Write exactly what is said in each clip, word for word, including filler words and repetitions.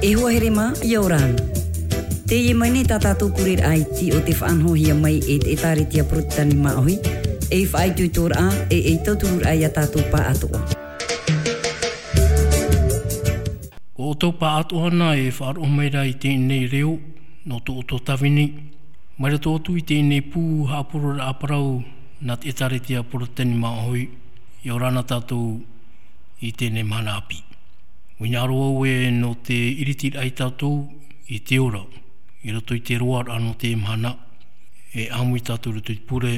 E hoa here mā, ʻia ora na. Teie mai nei tā tātou pureraʻa iti o te faʻanahohia mai e te ʻĒtārētia Porotetani Māʻohi, ei faʻaitoitoraʻa, e ei tautururaʻa ia tātou pāʻatoʻa. ʻO ʻoutou pāʻatoʻa na e faʻaroʻo mai ra i teie nei reo, nō tō ʻoutou tāvini, mai roto atu i teie nei pū haʻapurororaʻa parau nā te ʻĒtārētia Porotetani Māʻohi, ʻia ora na tātou i teie nei mahana ʻāpī. ʻUa hinaʻaro au ē nō te ʻiritiraʻa ia tātou i te ora, i roto i te roaraʻa nō te mahana, e ʻāmui tātou i roto i te pure,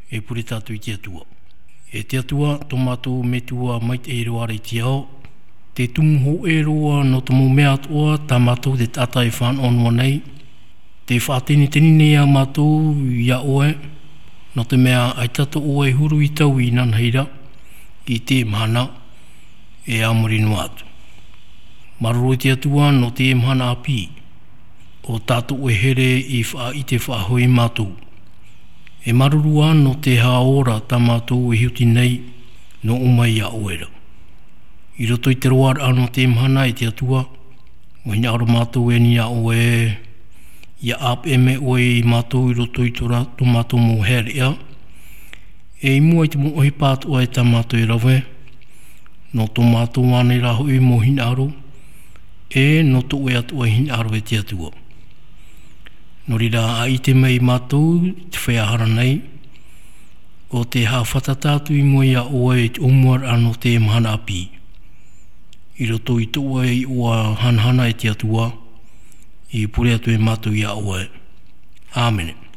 e pure tātou i te Atua. E te Atua, tō mātou Metua maitaʻi roa ra i te ao, tē tumu hōʻē roa nō te mau mea atoʻa tā mātou te taʻata e fānaʻo noa nei, tē faʻateniteni nei ia mātou ia ʻoe, nō te mea ʻaita tō ʻoe huru i taui inanahi ra, i teie mahana, e a muri noa atu. Māuruuru i te Atua nō teie mahana ʻāpī, ʻo tā tō ʻoe here i faʻaʻite faʻahou ia mātou. E māuruuru ā nō te haʻaora tā mātou e hiʻo nei, nō ʻō mai ia ʻoe ra. I roto i te roaraʻa nō teie mahana e te Atua, ʻua hinaʻaro mātou e ani ia ʻoe, ʻia ʻāpeʻe mai ʻoe ia mātou i roto i tō ra-, tō mātou mau haereʻa, e i mua i te mau ʻohipa atoʻa e tā mātou e rave, nō tō mātou ānei rā hoʻi mau hinaʻaro, e nō tō ʻoe atoʻa hinaʻaro e te Atua. Nō reira, ʻaita mai ia mātou i te feiā hara nei, ʻo tē haʻafātata atu i mua ia ʻoe i te ʻōmuaraʻa nō teie mahana ʻāpī. I roto i tō ʻoe iʻoa hanahana e te Atua, i pure atu ai mātou ia ʻoe. ʻĀmene.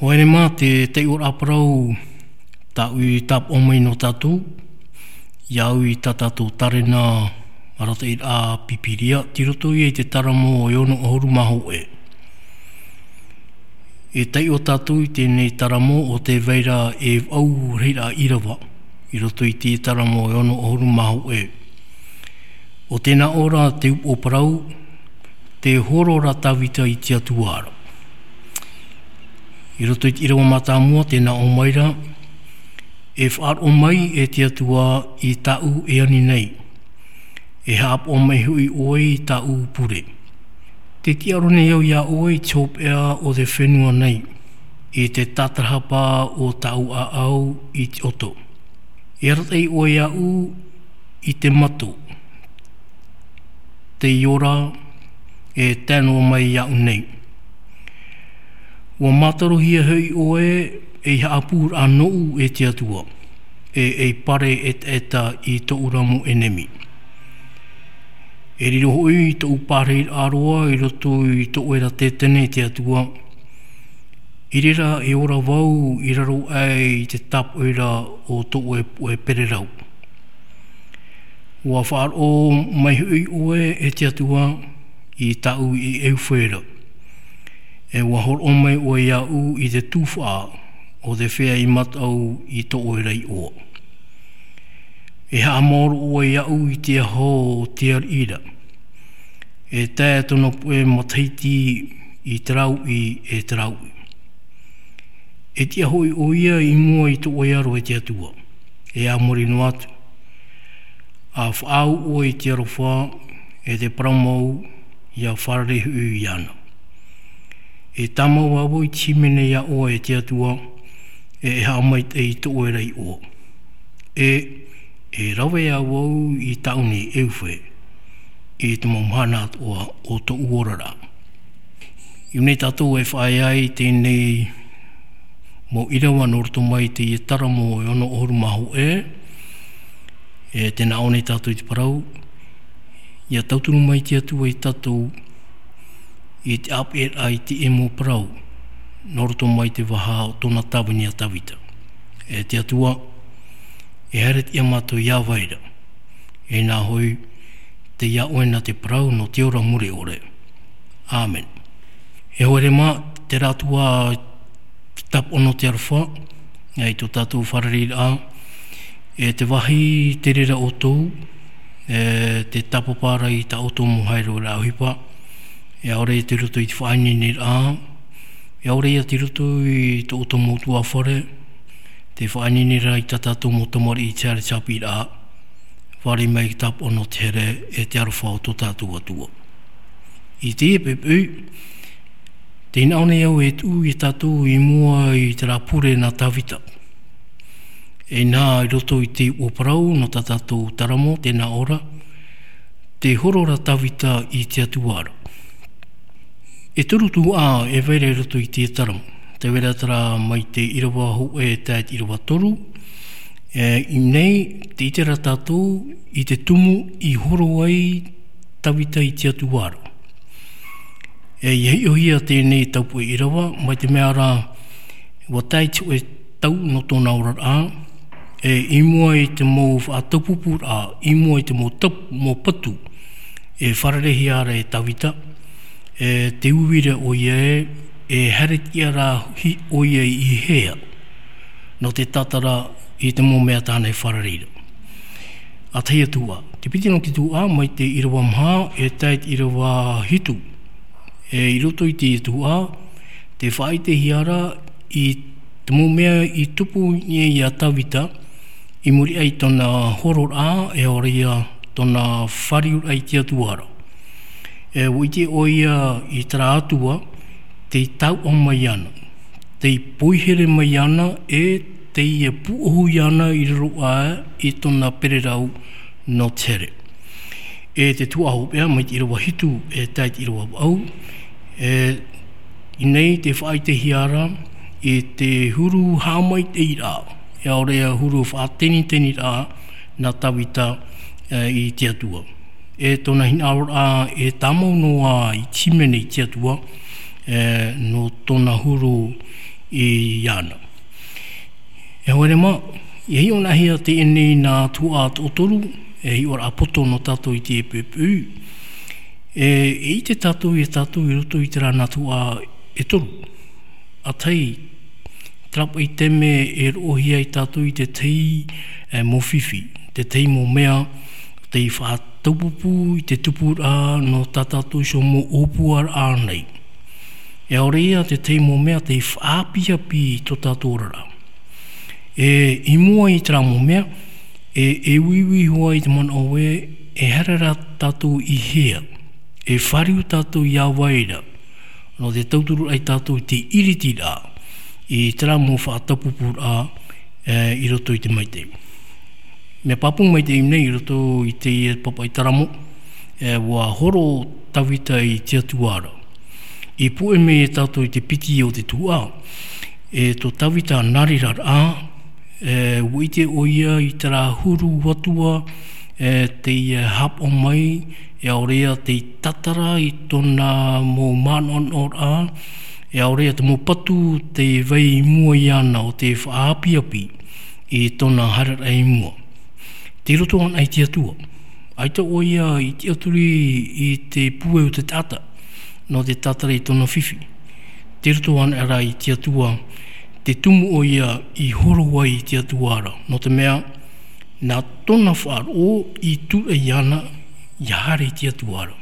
Haere mā te taiʻoraʻa parau, tāʻu i tāpaʻo mai nō tātou, i au i tā tātou tārena arataʻiraʻa Pīpīria, tei roto ia i te Taramo e ono ʻahuru mā hōʻē. E taiʻo tātou i teie Taramo ʻo tē vai ra e vaʻu rahiraʻa ʻīrava, i roto i te Taramo e ono ʻahuru mā hōʻē. ʻO tēnā ʻō ra te upoʻo parau, te horo ra Tāvita i te Atua ra. I roto i te ʻīrava mātāmua tēnā ʻō mai ra, e faʻaroʻo mai e te Atua i tāʻu e ani nei, e haʻapaʻo mai hoʻi ʻoe i tāʻu pure. Tē tiʻaoro nei au iā ʻoe i te hopeʻa o te fenua nei, i te tātarahapa o tāʻu ʻāʻau i te ʻoto. E arataʻi ʻoe iāʻu i te mato, tei ora, e tae noa mai iāʻu nei. ʻUa mātarohia hoʻi ʻoe ei haʻapūraʻa nōʻu e te Atua, e ei pare ʻetaʻeta i tōʻu ra mau ʻenemi. E riro hoʻi tōʻu pārahiraʻa roa i roto i tō ʻoe ra tētene e te Atua, i reira e ora vau i raro aʻe i te tāpoʻi ra o tō ʻoe puʻe pererau. ʻUa faʻaroʻo mai hoʻi ʻoe e te Atua i tāʻu ʻeʻeʻufe ra, e ʻua hōroʻa mai ʻoe iāʻu i te tufaʻa o te feiā i mataʻu i tō ʻoe ra iʻoa. E haʻamaoro ʻoe iāʻu i te aho o te ariʻi ra, e tae tōna puʻe matahiti i te rāuʻi e te rāuʻi. E tiʻa hoʻi ʻoia i mua i tō ʻoe aro e te Atua, e a muri noa atu. ʻA faʻaau ʻoe i te aroha, e te parau mau, ʻia fārerei hoʻi iāna. E tāmau ā vau i te hīmene iā ʻoe e te Atua, e e haʻamaitaʻi i tō ʻoe ra iʻoa. E, e rave ā vau i tāʻu nei ʻeʻeʻufe, i te mau mahana atoʻa o tōʻu oraraʻa. I ʻō nei tātou e faʻaea ai teie mau ʻīrava nō roto mai i te Taramo e ono ʻahuru mā hōʻē, e tē nā ʻō nei tātou i te parau, ʻia tauturu mai te Atua iā tātou i te ʻāpeʻeraʻa i teie mau parau, nō roto mai i te vaha o tōna tāvini a Tāvita. E te Atua, e haere tiʻa mātou iā vai ra, e nā hoʻi, tei iā ʻoe na te parau nō te ora mure ʻore. ʻĀmene. E haere mā, terā atu ā te tāpaʻo nō te aroha, e i tō tātou fārereiraʻa, e te vāhi te reira ʻoutou, e te tāpapa ra i tā ʻoutou mau haereraʻa ʻohipa, e ʻaore tei roto i te faʻaineineraʻa, e ʻaore ia tei roto i tō ʻoutou mau ʻutuāfare, te faʻaineine ra i tā tātou mau tamariʻi i te haere tāpiraʻa, fārerei mai te tāpaʻo nō te here e te aroha o tō tātou Atua. I teie poʻipoʻi, tē nā ʻō nei au e tuʻu iā tātou i mua i terā pure nā Tāvita. E nā i roto i te upoʻo parau nō tā tātou Taramo, tē nā ʻō ra, te horo ra Tāvita i te Atua ra. E toru tuhaʻa e vai ra i roto i te Taramo. Tē vai ra terā mai te ʻīrava hōʻē e tae i te ʻīrava toru. E, i ʻō nei, tē ʻite ra tātou i te tumu i horo ai Tāvita i te Atua ra. E, ʻia hiʻohia teie taupuʻe ʻīrava, mai te mea ra, ʻua tae i te hōʻē tau nō tōna oraraʻa, e, i mua i te mau faʻataupupuraʻa, i mua i te mau taup-, mau patu, e fārereihia ra e Tāvita, e, tē ui ra ʻoia ē, e haere tiʻa ra hoʻi ʻoia i hea, nō te tātara i te mau mea tāna e fārerei ra. ʻA tahi atu ā, te piti nō te tuhaʻa, mai te ʻīrava maha, e tae i te ʻīrava hitu. E, i roto i te tuhaʻa, tē faʻaʻitehia ra i te mau mea i tupu i niʻa iā Tāvita, i muri aʻe i tōna hororaʻa, e ʻaore ia tōna fāriuraʻa i te Atua ra. E, ʻua ʻite ʻoia i terā Atua, tei taoʻa mai ana, tei poihere mai ana, e tei pūʻohu ana i raro aʻe i tōna pererau nō te here. E te tuhaʻa hopeʻa, mai te ʻīrava hitu e tae i te ʻīrava vaʻu, e, i ʻō nei tē faʻaʻitehia ra i te huru haʻamaitaʻiraʻa, e ʻaore ia huru faʻateniteniraʻa nā Tāvita, e, i te Atua. E tōna hinaʻaroraʻa e tāmau noa i te hīmene i te Atua, e, nō tōna huru i ana. E hoa rema, e hiʻo nahia teie nei nā tuhaʻa toʻotoru, e hiʻoraʻa poto nō tātou i te pupu. E, e ʻite tātou, e tātou i roto i terā nā tuhaʻa e toru. ʻA tahi, terā paʻi taime e roʻohia ai tātou i te tahi, e, mau fifi, te tahi mau mea, tei faʻataupupu i te tupuraʻa nō tā tātou iho mau ʻōpuaraʻa nei. E ʻaore ia te tahi mau mea tei faʻaʻapiʻapi i tō tātou oraraʻa. E, i mua i terā mau mea, e, e uiui hoʻi te manaʻo ē, e haere rā tātou i hea, e fāriu tātou i a vai ra, nō te tauturu ai tātou i te ʻiritiraʻa, i terā mau faʻataupupuraʻa, e, i roto i te maitaʻi. Mea pāpū maitaʻi nei i roto i teie pāpaʻi taramo, e, ʻua horo Tavita i te Atua ra. I puʻe mai e tātou i te piti o te tuhaʻa, e tō Tavita nā reira rā, e, ʻua ʻite ʻoia i terā huru atua, e, tei, e, haʻapaʻo mai, e ʻaore ia tei tatara i tōna mau manaʻonaʻoraʻa, e ʻaore ia te mau patu tei vai i mua iāna ʻo tē faʻaʻapiʻapi i tōna haereraʻa i mua. Tei roto anaʻe i te Atua. ʻAita ʻoia i tiʻaturi i te puʻe o te taʻata, nō te tatara i tōna fifi. Tei roto anaʻe rā i te Atua, te tumu ʻoia i horo ai i te Atua ra. Nō te mea, nā tōna faʻaroʻo i tūraʻi iāna, ʻia haere i te Atua ra.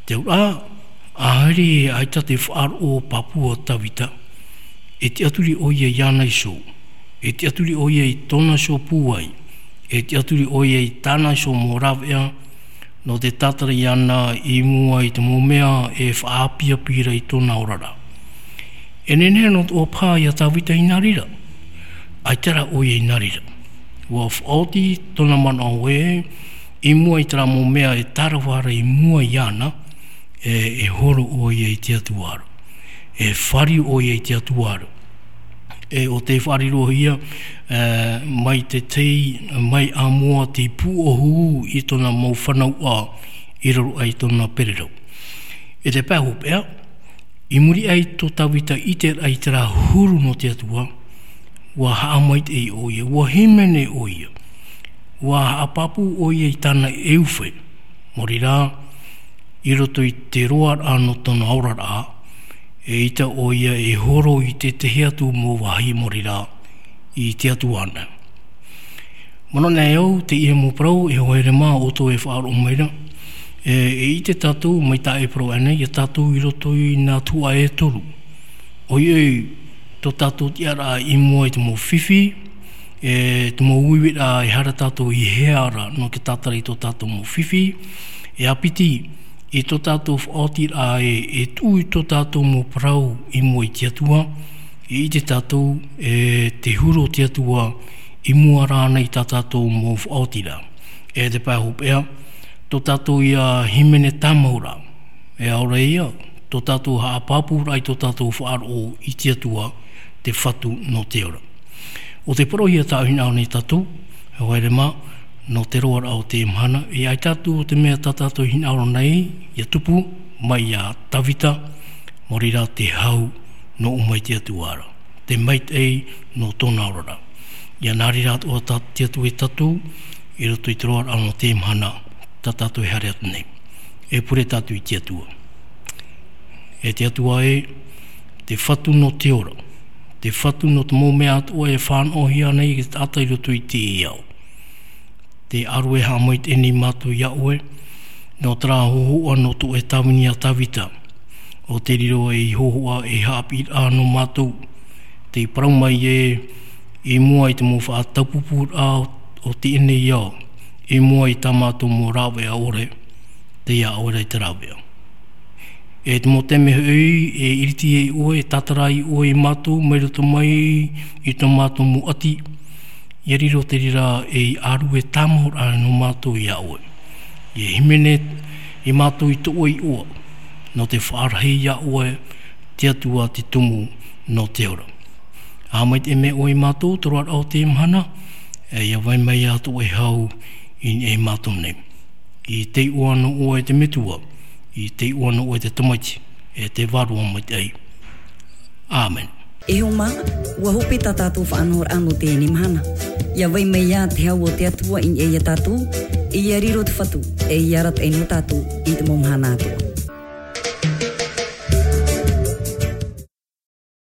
Te auraʻa, ʻaore ʻaita te faʻaroʻo pāpū a Tavita, e tiʻaturi ʻoia iāna iho. E tiʻaturi ʻoia i tōna iho pūai. E tiʻaturi ʻoia i tāna iho mau rāveʻa, nō te tatara iāna i mua i te mau mea e faʻaʻapiʻapi ra i tōna oraraʻa. E nehenehe noa atoʻa paha ia Tavita i nā reira. ʻAita rā ʻoia i nā reira. ʻUa faʻaoti tōna manaʻo ē, i mua i terā mau mea e tārava ra i mua iāna, e, e horo ʻoia i te Atua ra. E fāriu ʻoia i te Atua ra. E ʻo tē faʻarirohia, e, mai te tei, mai ʻāmua tei pūʻohu i tōna mau fanauʻa i raro aʻe i tōna pererau. E te pae hopeʻa, i muri aʻe i tō Tavita ʻiteraʻa i terā huru nō te Atua, ʻua haʻamaitaʻi ʻoia, ʻua hīmene ʻoia, ʻua haʻapāpū ʻoia i tāna ʻeufe, maori rā, i roto i te roaraʻa nō tōna oraraʻa, eʻita ʻoia e horo i te tahi atu mau vāhi maori rā i te Atua ana. Manaʻo nei au, teie mau parau, e hoa here mā, ʻoutou e faʻaroʻo mai ra. E, e ʻite tātou, mai tā e parau aʻe nei, ia tātou i roto i nā tuhaʻa e toru. ʻOiʻoi, tō tātou tiʻaraʻa i mua i te mau fifi, e, te mau uiuiraʻa e haere tātou i hea ra, nō te tatara i tō tātou mau fifi, e āpiti, i tō tātou faʻaotiraʻa e, e tuʻu i tō tātou mau parau i mua i te Atua, e ʻite tātou, e, te huru o te Atua, i mua rānei i tā tātou mau faʻaotiraʻa. E te pae hopeʻa, tō tātou ia hīmene tāmau ra, e ʻaore ia, tō tātou haʻapāpūraʻa i tō tātou faʻaroʻo i te Atua, te Fatu nō te ora. ʻO te parau ia tāʻu hinaʻaro nei tātou, e hoa here mā, nō te roaraʻa o te mahana, e ʻaita atu te mea tā tātou hinaʻaro nei, ia tupu, mai ia Tavita, maori rā te hau, nō ʻō mai te Atua ra. Te maitaʻi, nō tōna oraraʻa. Ia nā reira atoʻa tā te Atua ia tātou, i roto i te roaraʻa nō te mahana, tā tātou e haere atu nei. E pure tātou i te Atua. E te Atua e, te Fatu nō te ora. Te Fatu nō te mau mea atoʻa e fānaʻohia nei e te taʻata i roto i teie ao. Te ʻārue haʻamaitaʻi nei mātou ia ʻoe, nō terā hōhoʻa nō tō ʻoe tāvini a Tavita, ʻo te riro ei hōhoʻa ei haʻapiʻiraʻa nō mātou, tei parau mai ē, i mua i te mau faʻataupupuraʻa o teie nei ao, i mua i tā mātou mau rāveʻa ʻore, tei iā ʻoe ra te rāveʻa. E te mau taime hoʻi, e iriti ai ʻoe, e tātara ai ʻoe ia mātou, mai roto mai i tō mātou mau ʻati, ia riro te reira ei ʻārue tāmau ra nō mātou ia ʻoe. Ia hīmene ia mātou i tō ʻoe iʻoa, nō te faʻarahi ia ʻoe, te Atua te Tumu nō te ora. Haʻamaitaʻi mai ʻoe ia mātou, te roaraʻa o te mahana, e ia vai mai ia tō ʻoe hau i niʻa ia mātou nei. I te iʻoa nō ʻoe te Metua, i te iʻoa nō ʻoe te Tamaiti, e te Vārua Maitaʻi. ʻĀmene. E hoa mā, ua hope tā tātou faʻanahoraʻa nō teie mahana. ʻIa vai mai ā te hau o te Atua i niʻa ia tātou, ʻia riro te Fatu, e ʻia arataʻi nō tātou i te mau mahana atoʻa.